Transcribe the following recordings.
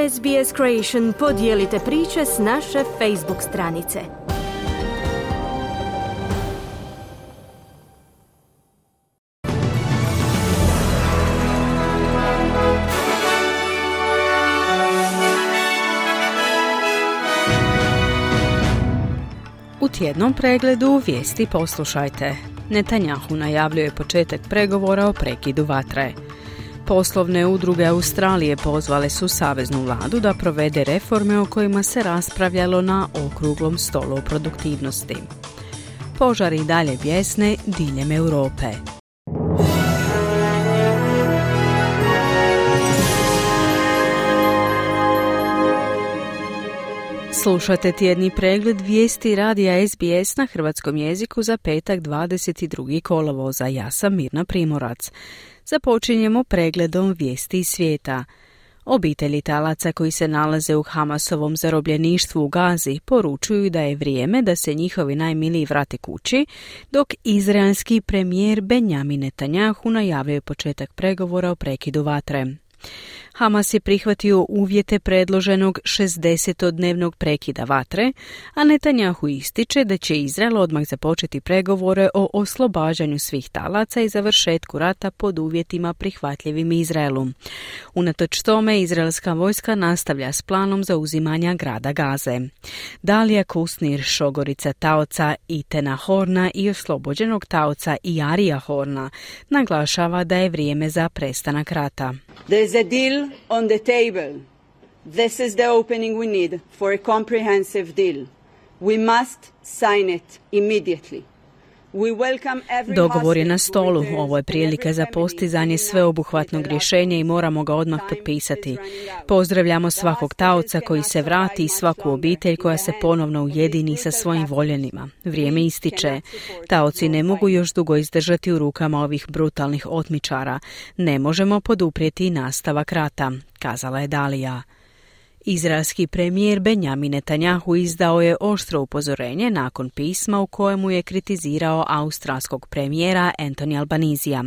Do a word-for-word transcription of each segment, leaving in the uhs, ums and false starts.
S B S Creation podijelite priče s naše Facebook stranice. U tjednom pregledu vijesti poslušajte. Netanjahu najavljuje početak pregovora o prekidu vatre. Poslovne udruge Australije pozvale su saveznu vladu da provede reforme o kojima se raspravljalo na okruglom stolu o produktivnosti. Požari dalje bjesne diljem Europe. Slušate tjedni pregled vijesti radija S B S na hrvatskom jeziku za petak dvadeset drugi kolovoza. Ja sam Mirna Primorac. Započinjemo pregledom vijesti iz svijeta. Obitelji talaca koji se nalaze u Hamasovom zarobljeništvu u Gazi poručuju da je vrijeme da se njihovi najmiliji vrate kući, dok izraelski premijer Benjamin Netanjahu najavljuje početak pregovora o prekidu vatre. Hamas je prihvatio uvjete predloženog šezdesetodnevnog prekida vatre, a Netanjahu ističe da će Izrael odmah započeti pregovore o oslobađanju svih talaca i završetku rata pod uvjetima prihvatljivim Izraelu. Unatoč tome, izraelska vojska nastavlja s planom zauzimanja grada Gaze. Dalija Kusnir, šogorica taoca Itena Horna i oslobođenog taoca Iarija Horna, naglašava da je vrijeme za prestanak rata. There is a deal on the table. This is the opening we need for a comprehensive deal. We must sign it immediately. Dogovor je na stolu. Ovo je prilika za postizanje sveobuhvatnog rješenja i moramo ga odmah potpisati. Pozdravljamo svakog taoca koji se vrati i svaku obitelj koja se ponovno ujedini sa svojim voljenima. Vrijeme ističe. Taoci ne mogu još dugo izdržati u rukama ovih brutalnih otmičara. Ne možemo poduprijeti nastavak rata, kazala je Dalija. Izraelski premijer Benjamin Netanjahu izdao je oštro upozorenje nakon pisma u kojemu je kritizirao australskog premijera Anthony Albanisija.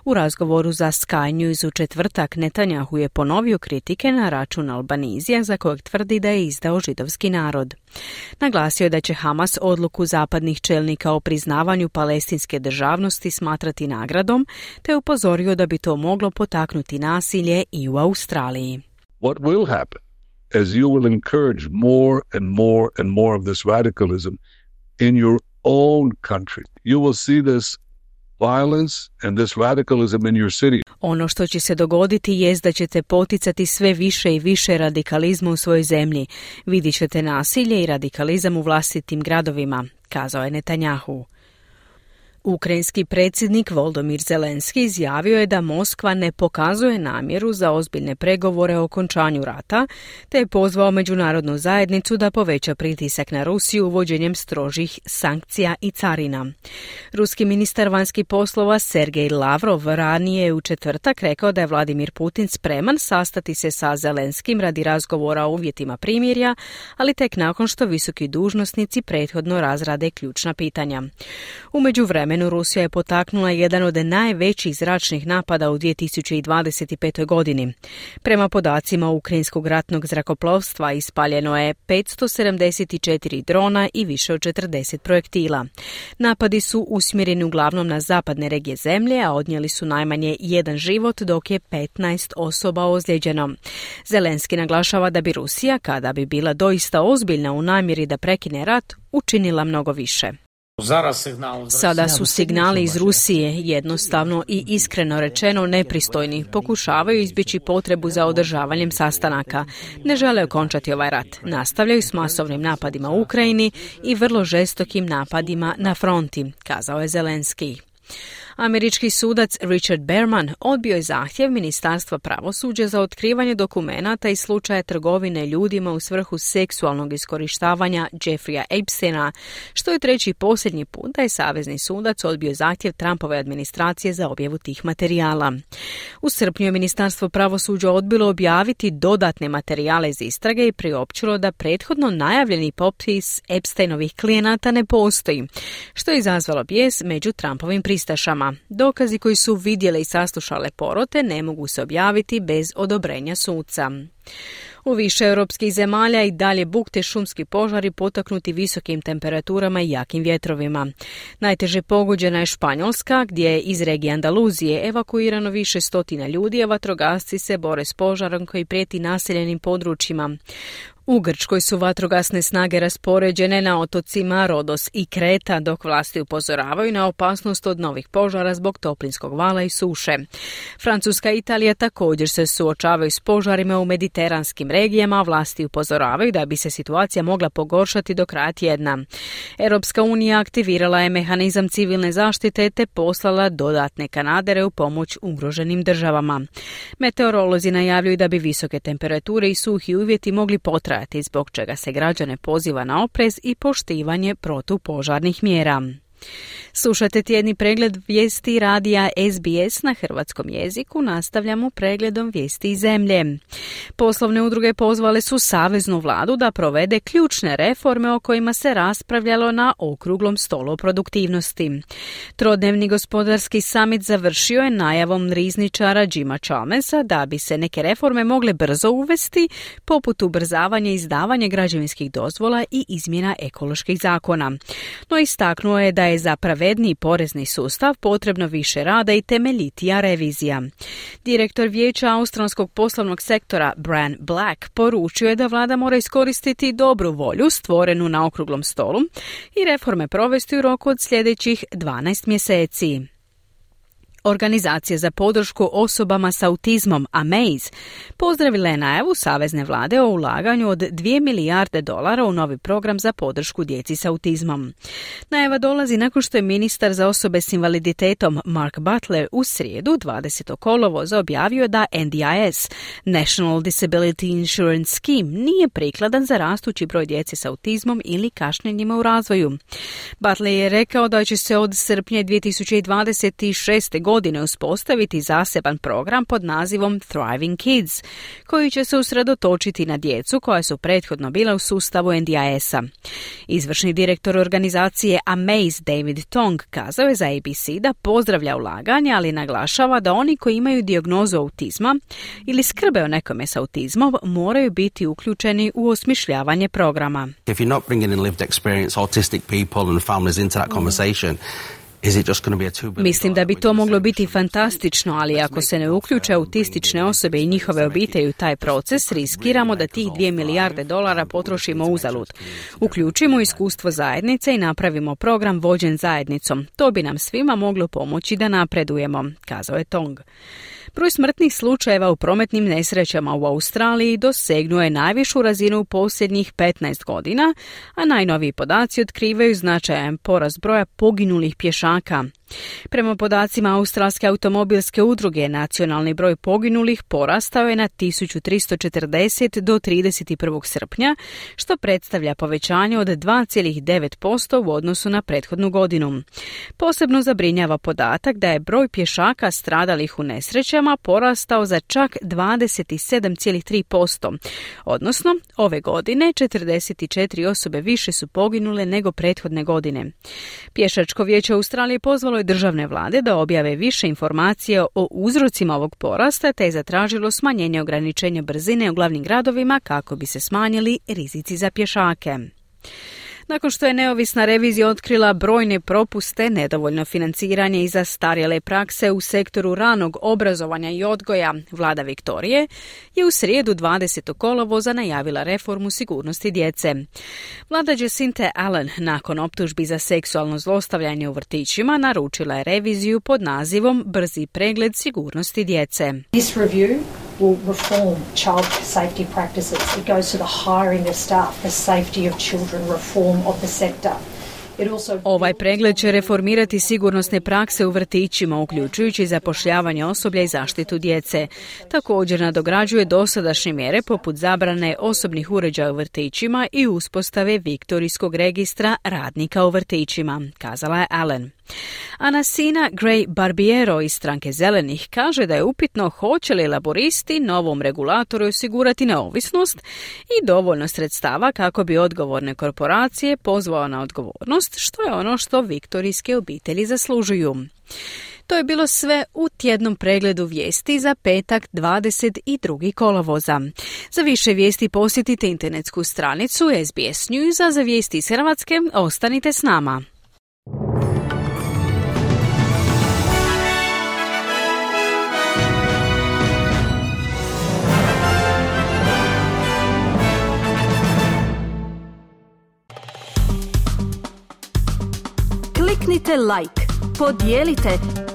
U razgovoru za Sky News u četvrtak Netanjahu je ponovio kritike na račun Albanizija za kojeg tvrdi da je izdao židovski narod. Naglasio je da će Hamas odluku zapadnih čelnika o priznavanju palestinske državnosti smatrati nagradom, te upozorio da bi to moglo potaknuti nasilje i u Australiji. What will happen? As you will encourage more and more and more of this radicalism in your own country. You will see this violence and this radicalism in your city. Ono što će se dogoditi jest da ćete poticati sve više i više radikalizma u svojoj zemlji. Vidjet ćete nasilje i radikalizam u vlastitim gradovima, kazao je Netanjahu. Ukrajinski predsjednik Volodymyr Zelenski izjavio je da Moskva ne pokazuje namjeru za ozbiljne pregovore o okončanju rata, te je pozvao međunarodnu zajednicu da poveća pritisak na Rusiju uvođenjem strožih sankcija i carina. Ruski ministar vanjskih poslova Sergej Lavrov ranije je u četvrtak rekao da je Vladimir Putin spreman sastati se sa Zelenskim radi razgovora o uvjetima primirja, ali tek nakon što visoki dužnosnici prethodno razrade ključna pitanja. U međuvremenu Rusija je potaknula jedan od najvećih zračnih napada u dvije tisuće dvadeset petoj godini. Prema podacima ukrajinskog ratnog zrakoplovstva ispaljeno je petsto sedamdeset četiri drona i više od četrdeset projektila. Napadi su usmjereni uglavnom na zapadne regije zemlje, a odnijeli su najmanje jedan život, dok je petnaest osoba ozlijeđeno. Zelenski naglašava da bi Rusija, kada bi bila doista ozbiljna u namjeri da prekine rat, učinila mnogo više. Sada su signali iz Rusije jednostavno i iskreno rečeno nepristojni. Pokušavaju izbjeći potrebu za održavanjem sastanaka. Ne žele okončati ovaj rat. Nastavljaju s masovnim napadima u Ukrajini i vrlo žestokim napadima na fronti, kazao je Zelenski. Američki sudac Richard Berman odbio je zahtjev Ministarstva pravosuđa za otkrivanje dokumenata iz slučaja trgovine ljudima u svrhu seksualnog iskorištavanja Jeffreya Epsteina, što je treći i posljednji put da je savezni sudac odbio zahtjev Trumpove administracije za objavu tih materijala. U srpnju je Ministarstvo pravosuđa odbilo objaviti dodatne materijale iz istrage i priopćilo da prethodno najavljeni popis Epsteinovih klijenata ne postoji, što je izazvalo bijes među Trumpovim pristašama. Dokazi koji su vidjele i saslušale porote ne mogu se objaviti bez odobrenja suca. U više europskih zemalja i dalje bukte šumski požari potaknuti visokim temperaturama i jakim vjetrovima. Najteže pogođena je Španjolska, gdje je iz regije Andaluzije evakuirano više stotina ljudi, a vatrogasci se bore s požarom koji prijeti naseljenim područjima. U Grčkoj su vatrogasne snage raspoređene na otocima Rodos i Kreta, dok vlasti upozoravaju na opasnost od novih požara zbog toplinskog vala i suše. Francuska i Italija također se suočavaju s požarima u mediteranskim regijama, a vlasti upozoravaju da bi se situacija mogla pogoršati do kraja tjedna. Europska unija aktivirala je mehanizam civilne zaštite te poslala dodatne kanadere u pomoć ugroženim državama. Meteorolozi najavljuju da bi visoke temperature i suhi uvjeti mogli potrajati, zbog čega se građane poziva na oprez i poštivanje protupožarnih mjera. Slušate tjedni pregled vijesti radija S B S na hrvatskom jeziku. Nastavljamo pregledom vijesti iz zemlje. Poslovne udruge pozvale su saveznu vladu da provede ključne reforme o kojima se raspravljalo na okruglom stolu o produktivnosti. Trodnevni gospodarski samit završio je najavom rizničara Jima Chalmersa da bi se neke reforme mogle brzo uvesti, poput ubrzavanja izdavanja građevinskih dozvola i izmjena ekoloških zakona. No istaknuo je da je za pravedniji porezni sustav potrebno više rada i temeljitija revizija. Direktor vijeća australskog poslovnog sektora Bran Black poručio je da vlada mora iskoristiti dobru volju stvorenu na okruglom stolu i reforme provesti u roku od sljedećih dvanaest mjeseci. Organizacija za podršku osobama s autizmom Amaze pozdravila je najavu savezne vlade o ulaganju od dvije milijarde dolara u novi program za podršku djeci s autizmom. Najava dolazi nakon što je ministar za osobe s invaliditetom Mark Butler u srijedu dvadesetog kolovoza objavio da N D I S, National Disability Insurance Scheme, nije prikladan za rastući broj djece s autizmom ili kašnjenjima u razvoju. Butler je rekao da će se od srpnja dvije tisuće dvadeset šeste godine godine uspostaviti zaseban program pod nazivom Thriving Kids, koji će se usredotočiti na djecu koja su prethodno bila u sustavu N D I S-a. Izvršni direktor organizacije Amaze David Tong kazao je za A B C da pozdravlja ulaganje, ali naglašava da oni koji imaju dijagnozu autizma ili skrbe o nekome s autizmom moraju biti uključeni u osmišljavanje programa. If you're not bringing in lived experience autistic people and families into that conversation, Mislim da bi to moglo biti fantastično, ali ako se ne uključe autistične osobe i njihove obitelji u taj proces, riskiramo da tih dvije milijarde dolara potrošimo uzalud. Uključimo iskustvo zajednice i napravimo program vođen zajednicom. To bi nam svima moglo pomoći da napredujemo, kazao je Tong. Broj smrtnih slučajeva u prometnim nesrećama u Australiji dosegnuo je najvišu razinu u posljednjih petnaest godina, a najnoviji podaci otkrivaju značajan porast broja poginulih pješaka. Prema podacima Australske automobilske udruge, nacionalni broj poginulih porastao je na tisuću tristo četrdeset do trideset prvog srpnja, što predstavlja povećanje od dva zarez devet posto u odnosu na prethodnu godinu. Posebno zabrinjava podatak da je broj pješaka stradalih u nesrećama porastao za čak dvadeset sedam zarez tri posto, odnosno ove godine četrdeset četiri osobe više su poginule nego prethodne godine. Pješačko vijeće Australije pozvalo je državne vlade da objave više informacija o uzrocima ovog porasta, te je zatražilo smanjenje ograničenja brzine u glavnim gradovima kako bi se smanjili rizici za pješake. Nakon što je neovisna revizija otkrila brojne propuste, nedovoljno financiranje i zastarjele prakse u sektoru ranog obrazovanja i odgoja, vlada Viktorije je u srijedu dvadesetog kolovoza najavila reformu sigurnosti djece. Vlada Jacinta Allen nakon optužbi za seksualno zlostavljanje u vrtićima naručila je reviziju pod nazivom Brzi pregled sigurnosti djece. This review will reform child safety practices. It goes to the hiring of staff, the safety of children, reform of the sector. Ovaj pregled će reformirati sigurnosne prakse u vrtićima, uključujući zapošljavanje osoblja i zaštitu djece. Također nadograđuje dosadašnje mjere poput zabrane osobnih uređaja u vrtićima i uspostave viktorijskog registra radnika u vrtićima, kazala je Allen. Anasina Gray Barbiero iz stranke Zelenih kaže da je upitno hoće li laboristi novom regulatoru osigurati neovisnost i dovoljno sredstava kako bi odgovorne korporacije pozvao na odgovornost, što je ono što viktorijske obitelji zaslužuju. To je bilo sve u tjednom pregledu vijesti za petak dvadeset drugi kolovoza. Za više vijesti posjetite internetsku stranicu S B S News, a za vijesti iz Hrvatske ostanite s nama. Kliknite like, podijelite,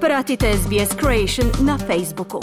pratite S B S Creation na Facebooku.